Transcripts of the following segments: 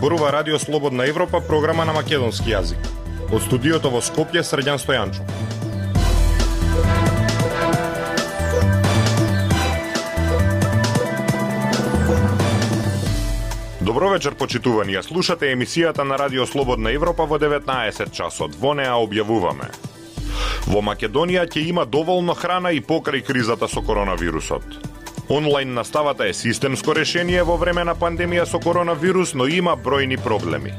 Зборува Радио Слободна Европа, програма на македонски јазик. Од студиото во Скопје, Срđan Стојанчов. Добро вечер, почитувани. Слушате емисијата на Радио Слободна Европа во 19 часот. Во неа објавуваме: во Македонија ќе има доволно храна и покрај кризата со коронавирусот. Онлайн наставата е системско решение во време на пандемија со коронавирус, но има бројни проблеми.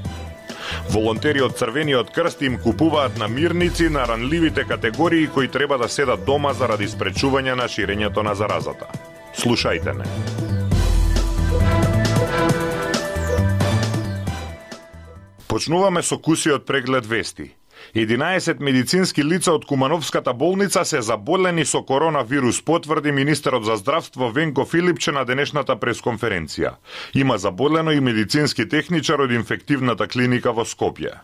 Волонтери од Црвениот крст им купуваат намирници на ранливите категории кои треба да седат дома заради спречување на ширењето на заразата. Слушајте не. Почнуваме со кусиот преглед вести. 11 медицински лица од Кумановската болница се заболени со коронавирус, потврди министерот за здравство Венко Филипче на денешната пресконференција. Има заболено и медицински техничар од инфективната клиника во Скопје.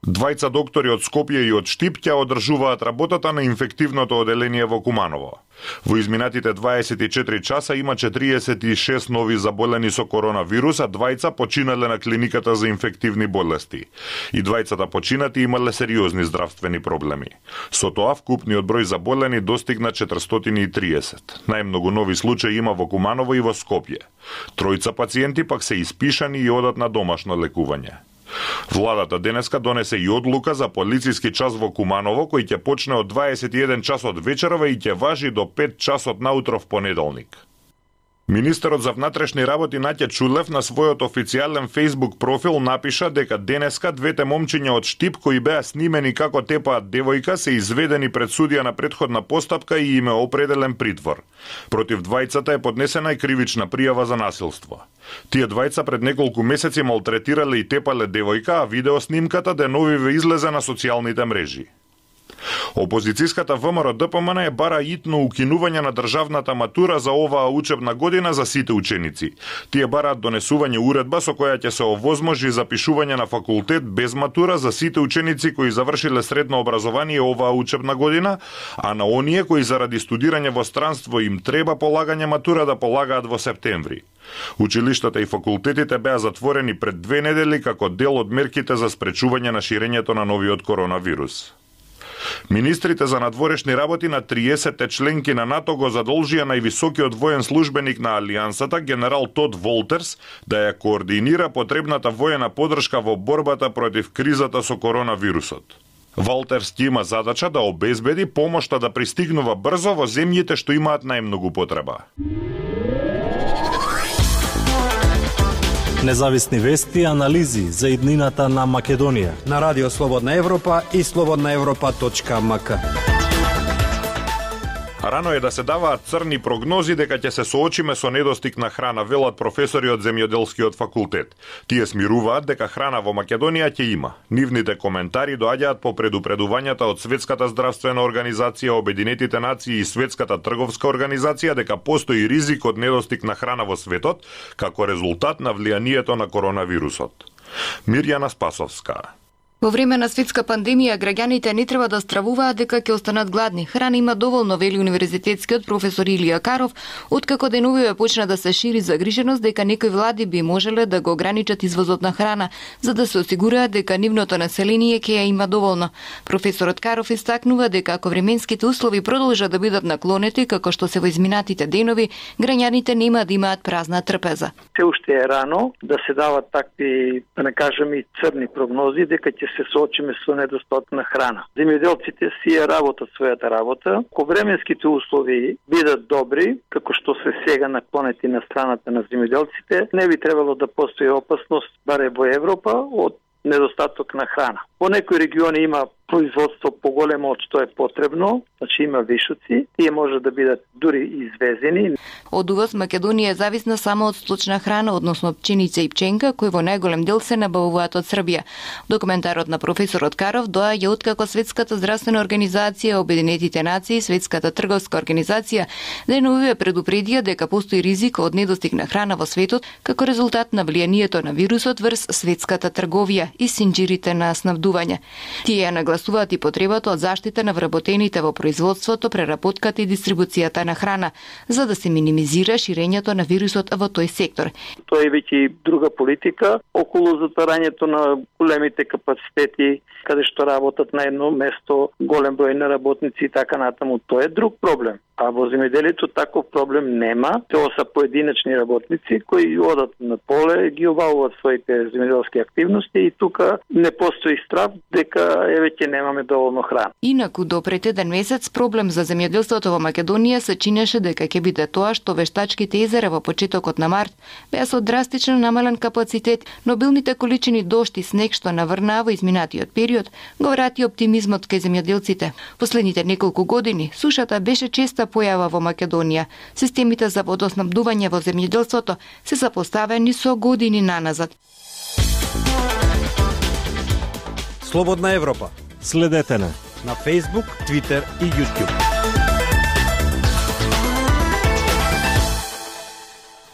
Двајца доктори од Скопје и од Штип ќе одржуваат работата на инфективното оделение во Куманово. Во изминатите 24 часа има 46 нови заболени со коронавирус, а двајца починале на клиниката за инфективни болести. И двајцата починати имале сериозни здравствени проблеми. Со тоа вкупниот број заболени достигна 430. Најмногу нови случаи има во Куманово и во Скопје. Тројца пациенти пак се испишани и одат на домашно лекување. Владата денеска донесе и одлука за полициски час во Куманово, кој ќе почне од 21 часот вечерва и ќе важи до 5 часот наутро в понеделник. Министерот за внатрешни работи Наќа Чулев на својот официјален Facebook профил напиша дека денеска двете момчиња од Штип кои беа снимени како тепаат девојка се изведени пред судија на претходна постапка и им е определен притвор. Против двајцата е поднесена и кривична пријава за насилство. Тие двајца пред неколку месеци малтретирале и тепале девојка, а видеоснимката деновиве излезе на социјалните мрежи. Опозицијската ВМРО ДПМН е бара итно укинување на државната матура за оваа учебна година за сите ученици. Тие бараат донесување уредба со која ќе се овозможи запишување на факултет без матура за сите ученици кои завршиле средно образование оваа учебна година, а на оние кои заради студирање во странство им треба полагање матура да полагаат во септември. Училиштата и факултетите беа затворени пред 2 недели како дел од мерките за спречување на ширењето на новиот коронавирус. Министрите за надворешни работи на 30 членки на НАТО го задолжија највисокиот воен службеник на Алијансата, генерал Тод Волтерс, да ја координира потребната воена поддршка во борбата против кризата со коронавирусот. Волтерс ќе има задача да обезбеди помошта да пристигнува брзо во земјите што имаат најмногу потреба. Независни вести и анализи за иднината на Македонија на Радио Слободна Европа и slobodnaevropa.mk. Рано е да се даваат црни прогнози дека ќе се соочиме со недостиг на храна, велат професори од земјоделскиот факултет. Тие смируваат дека храна во Македонија ќе има. Нивните коментари доаѓаат по предупредувањата од Светската здравствена организација, Обединетите нации и Светската трговска организација дека постои ризик од недостиг на храна во светот како резултат на влијанието на коронавирусот. Мирјана Спасовска. Во време на светска пандемија, граѓаните не треба да стравуваат дека ќе останат гладни. Храна има доволно, вели универзитетскиот професор Илија Каров, откако деновиве почна да се шири загриженост дека некои влади би можеле да го ограничат извозот на храна, за да се осигураат дека нивното население ќе ја има доволно. Професорот Каров истакнува дека ако временските услови продолжат да бидат наклонети, како што се во изминатите денови, граѓаните нема да имаат празна трпеза. Се уште е рано да се дават такви, да не кажем и црни прогнози, дека ќе се соочиме со недостаток на храна. Земјоделците си ја работат својата работа. Ако временските услови бидат добри, како што се сега наклонети на страната на земјоделците, не би требало да постои опасност, баре во Европа, од недостаток на храна. Во некои региони има производство поголемо од што е потребно, значи има вишоци, тие може да бидат дури извезени. Од увоз Македонија е зависна само од сточна храна, односно пченица и пченка, кои во најголем дел се набавуваат од Србија. Документарот на професорот Каров доаѓа откако Светската здравствена организација, Обединетите нации и Светската трговска организација деновиве предупредија дека постои ризик од недостиг на храна во светот како резултат на влијанието на вирусот врз светската трговија и синџирите на снабдување. Тие ја нагласуваат и потребата од заштита на вработените во производството, преработката и дистрибуцијата на храна, за да се минимизира ширењето на вирусот во тој сектор. Тоа е веќе друга политика околу затварањето на големите капацитети, каде што работат на едно место голем број на работници и така натаму. Тоа е друг проблем. А во земјоделието таков проблем нема. Тоа се поединечни работници кои одат на поле, ги обавуваат своите земјоделски активности и тука не постои страв дека веќе немаме доволно храна. Инаку до пред еден месец проблем за земјоделството во Македонија се чинеше дека ќе биде тоа што вештачките езера во почетокот на март беа со драстично намален капацитет, но обилните количини дожд и снег што наврнаа во изминатиот период го врати оптимизмот кај земјоделците. Последните неколку години сушата беше честа појава во Македонија. Системите за водоснабдување во земјоделството се запоставени со години наназад. Слободна Европа. Следете на Facebook, Twitter и YouTube.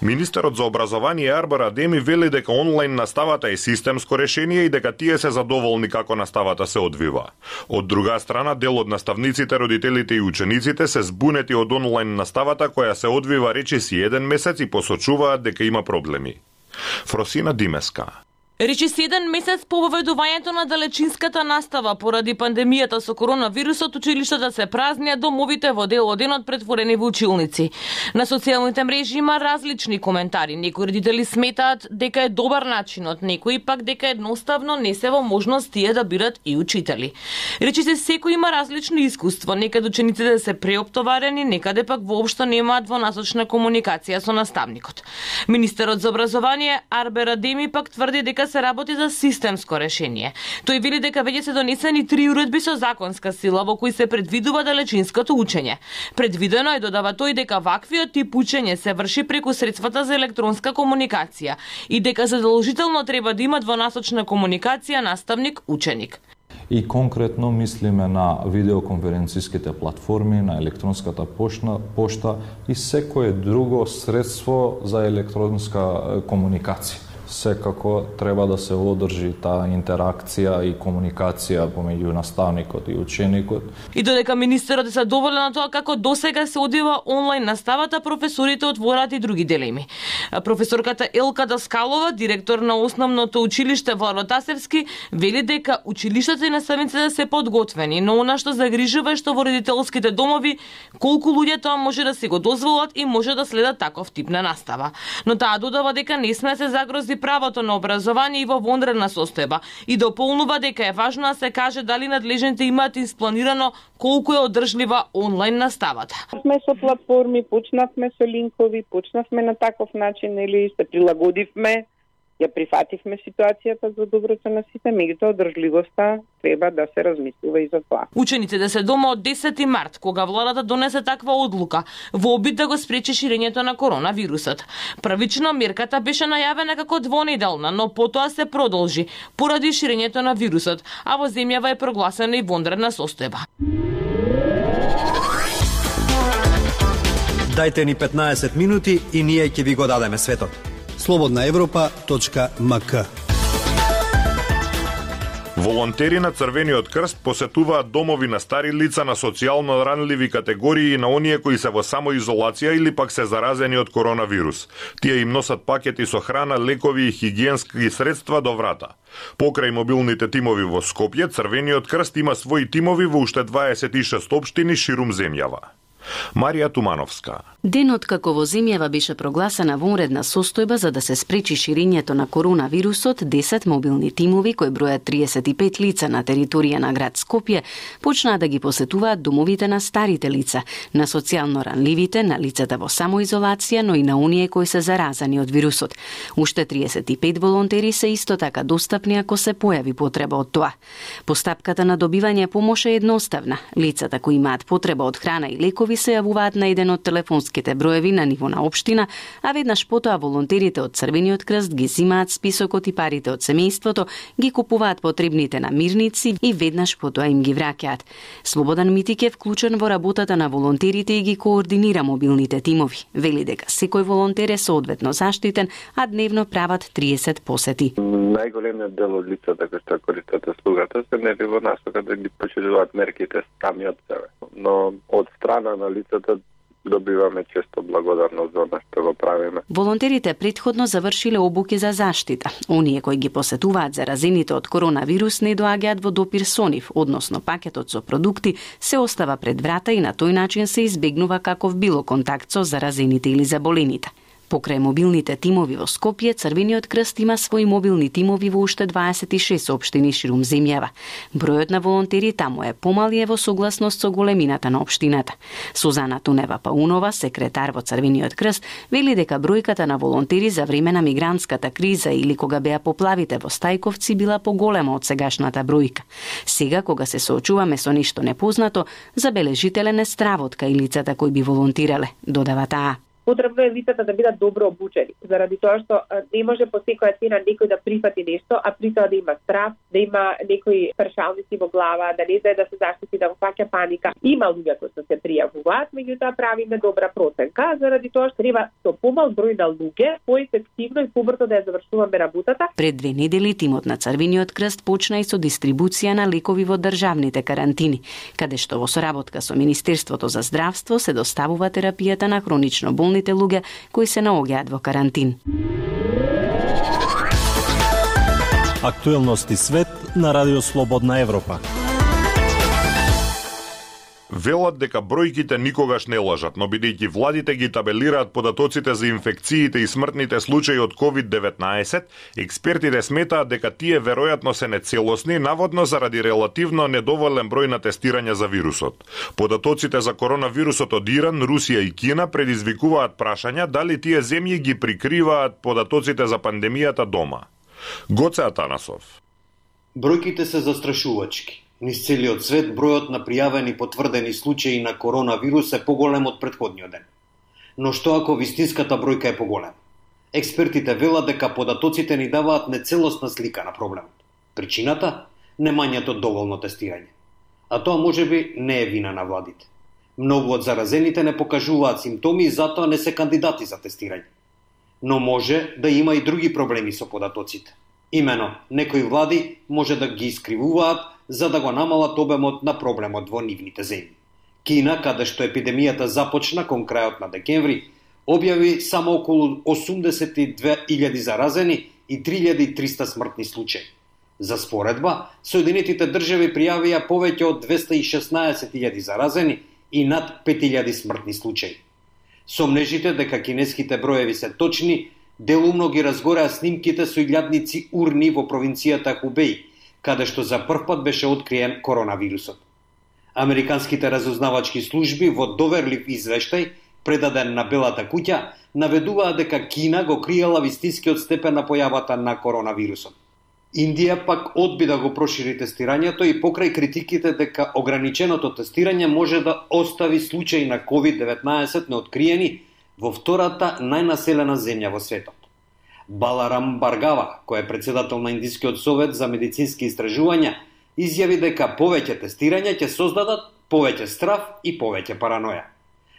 Министерот за образование Арбер Адеми вели дека онлайн наставата е системско решение и дека тие се задоволни како наставата се одвива. Од друга страна, дел од наставниците, родителите и учениците се збунети од онлайн наставата која се одвива речиси еден месец и посочуваат дека има проблеми. Фросина Димеска. Речиси еден месец по воведувањето на далечинската настава поради пандемијата со коронавирусот, училиштата се празни, а домовите во дел од денот претворени во училници. На социјалните мрежи има различни коментари. Некои родители сметаат дека е добар начинот, некои пак дека едноставно не се во можност тие да бидат и учители. Речиси секој има различно искуство. Некаде учениците се преоптоварени, некаде пак воопшто немаат двонасочна комуникација со наставникот. Министерот за образование Арбер Адеми пак тврди дека се работи за системско решение. Тој вели дека веќе се донесени 3 уредби со законска сила во кои се предвидува далечинското учење. Предвидено е, додава тој, дека ваквиот тип учење се врши преку средствата за електронска комуникација и дека задолжително треба да има двонасочна комуникација наставник-ученик. И конкретно мислиме на видеоконференциските платформи, на електронската пошта и секое друго средство за електронска комуникација. Секако треба да се одржи таа интеракција и комуникација помеѓу наставникот и ученикот. И додека министерот е задоволен на тоа како досега се одвива онлайн наставата, професорите отвораат и други дилеми. Професорката Елка Даскалова, директор на основното училиште во Ротасевски, вели дека училиштата и наставниците се подготвени, но она што загрижува е што во родителските домови колку луѓе тоа може да се го дозволат и може да следат таков тип на настава. Но таа додава дека не сме се загрози правото на образование и во вонредна состојба и дополнува дека е важно да се каже дали надлежните имаат испланирано колку е одржлива онлайн наставата. Сме со платформи, почнавме со линкови, почнавме на таков начин или се прилагодивме, ја прифативме ситуацијата за доброто на сите, меѓутоа одржливоста треба да се размислува и за тоа. Учениците се дома од 10 март, кога владата донесе таква одлука, во обид да го спречи ширењето на коронавирусот. Првично мерката беше најавена како двонеделна, но потоа се продолжи поради ширењето на вирусот, а во земјава е прогласена и вонредна состојба. Дајте ни 15 минути и ние ќе ви го дадеме светот. slobodnaevropa.mk. Волонтери на Црвениот крст посетуваат домови на стари лица, на социјално ранливи категории и на оние кои се во самоизолација или пак се заразени од коронавирус. Тие им носат пакети со храна, лекови и хигиенски средства до врата. Покрај мобилните тимови во Скопје, Црвениот крст има своји тимови во уште 26 општини ширум земјава. Марија Тумановска. Денот како во земјава беше прогласена вонредна состојба за да се спречи ширењето на коронавирусот, 10 мобилни тимови кои бројат 35 лица на територија на град Скопје почнаа да ги посетуваат домовите на старите лица, на социјално ранливите, на лицата во самоизолација, но и на оние кои се заразани од вирусот. Уште 35 волонтери се исто така достапни ако се појави потреба од тоа. Постапката на добивање помош е едноставна. Лицата кои имаат потреба од храна и лекови тимови се јавуваат на еден од телефонските броеви на ниво на општина, а веднаш потоа волонтерите од Црвениот крст ги зимаат списокот и парите од семејството, ги купуваат потребните намирници и веднаш потоа им ги враќаат. Слободан Митик е вклучен во работата на волонтерите и ги координира мобилните тимови. Вели дека секој волонтер е соодветно заштитен, а дневно прават 30 посети. Најголемиот дел од лицата кои што користат услугата се не во насока да ги почитуваат мерките сами од себе. Но од страна на лицата добиваме често благодарност за она што го правиме. Волонтерите претходно завршиле обуки за заштита. Оние кои ги посетуваат заразените од коронавирус не доаѓаат во допир со нив, односно пакетот со продукти се остава пред врата и на тој начин се избегнува каков било контакт со заразените или заболените. Покрај мобилните тимови во Скопје, Црвениот крст има своји мобилни тимови во уште 26 општини ширум земјава. Бројот на волонтери таму е помал и е во согласност со големината на општината. Сузана Тунева Паунова, секретар во Црвениот крст, вели дека бројката на волонтери за време на мигрантската криза или кога беа поплавите во Стајковци била поголема од сегашната бројка. Сега, кога се соочуваме со нешто непознато, забележителен е стравот кај лицата кои би волонтирале, додава таа. Потребно е лицата да бидат добро обучени, заради тоа што не може по секоја цена некој да прифати нешто, а при тоа да има страв, да има некои прашалници во глава, да не знае да се заштити, да го фаќа паника. Има луѓе кои се пријавуваат, меѓутоа правиме добра проценка, заради тоа што треба со помал број на луѓе поефективно и побрзо да ја завршуваме работата. Пред 2 недели тимот на Црвениот крст почна и со дистрибуција на лекови во државните карантини, каде што во соработка со Министерството за здравство се доставува терапијата на хронично болните луѓе кои се наоѓаат во карантин. Актуелности свет на Радио Слободна Европа. Велат дека бројките никогаш не лажат, но бидејќи владите ги табелираат податоците за инфекциите и смртните случаи од COVID-19, експертите сметаат дека тие веројатно се нецелосни, наводно заради релативно недоволен број на тестирања за вирусот. Податоците за коронавирусот од Иран, Русија и Кина предизвикуваат прашања дали тие земји ги прикриваат податоците за пандемијата дома. Гоце Атанасов. Бројките се застрашувачки. Низ целиот свет бројот на пријавени потврдени случаи на коронавирус е поголем од претходниот ден. Но што ако вистинската бројка е поголема? Експертите велат дека податоците ни даваат нецелосна слика на проблемот. Причината? Немањето доволно тестирање. А тоа можеби не е вина на владите. Многу од заразените не покажуваат симптоми и затоа не се кандидати за тестирање. Но може да има и други проблеми со податоците. Имено, некои влади може да ги искривуваат за да го намалат обемот на проблемот во нивните земји. Кина, каде што епидемијата започна кон крајот на декември, објави само околу 82.000 заразени и 3.300 смртни случаи. За споредба, Соединетите држави пријавија повеќе од 216.000 заразени и над 5.000 смртни случаи. Сомнежите дека кинеските броеви се точни, делумно ги разгореа снимките со илјадници урни во провинцијата Хубеј, каде што за прв пат беше откриен коронавирусот. Американските разузнавачки служби во доверлив извештај, предаден на Белата куќа, наведуваа дека Кина го криела вистинскиот степен на појавата на коронавирусот. Индија пак одби да го прошири тестирањето и покрај критиките дека ограниченото тестирање може да остави случаи на COVID-19 неоткриени во втората најнаселена земја во светот. Баларам Баргава, кој е председател на Индискиот совет за медицински истражувања, изјави дека повеќе тестирања ќе создадат повеќе страв и повеќе параноја.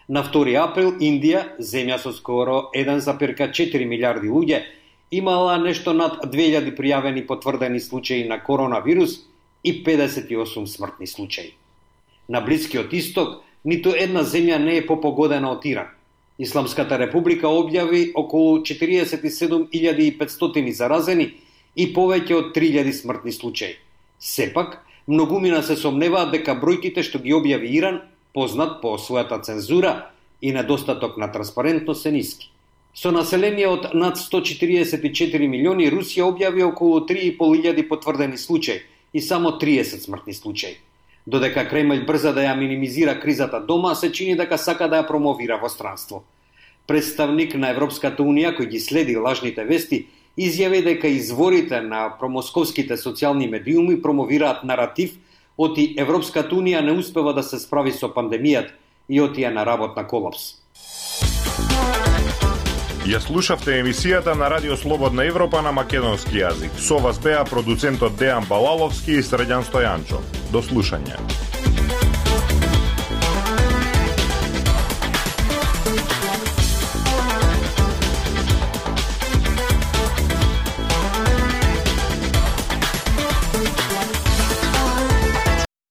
На 2 април Индија, земја со скоро 1,4 милиарди луѓе, имала нешто над 2000 пријавени потврдени случаи на коронавирус и 58 смртни случаи. На Блискиот исток, ниту една земја не е попогодена од Иран. Исламската република објави околу 47.500 заразени и повеќе од 3.000 смртни случаи. Сепак, многумина се сомневаат дека бројките што ги објави Иран, познат по својата цензура и недостаток на транспарентност, се ниски. Со население од над 144 милиони, Русија објави околу 3.500 потврдени случаи и само 30 смртни случаи. Додека Кремљ брза да ја минимизира кризата дома, се чини дека сака да ја промовира во странство. Представник на Европската унија, кој ги следи лажните вести, изјави дека изворите на промосковските социјални медиуми промовираат наратив оти Европската унија не успева да се справи со пандемијата и отија на работна колапс. Ја слушавте емисијата на Радио Слободна Европа на македонски јазик. Со вас беа продуцентот Дејан Балаловски и Средјан Стојанчо. До слушање.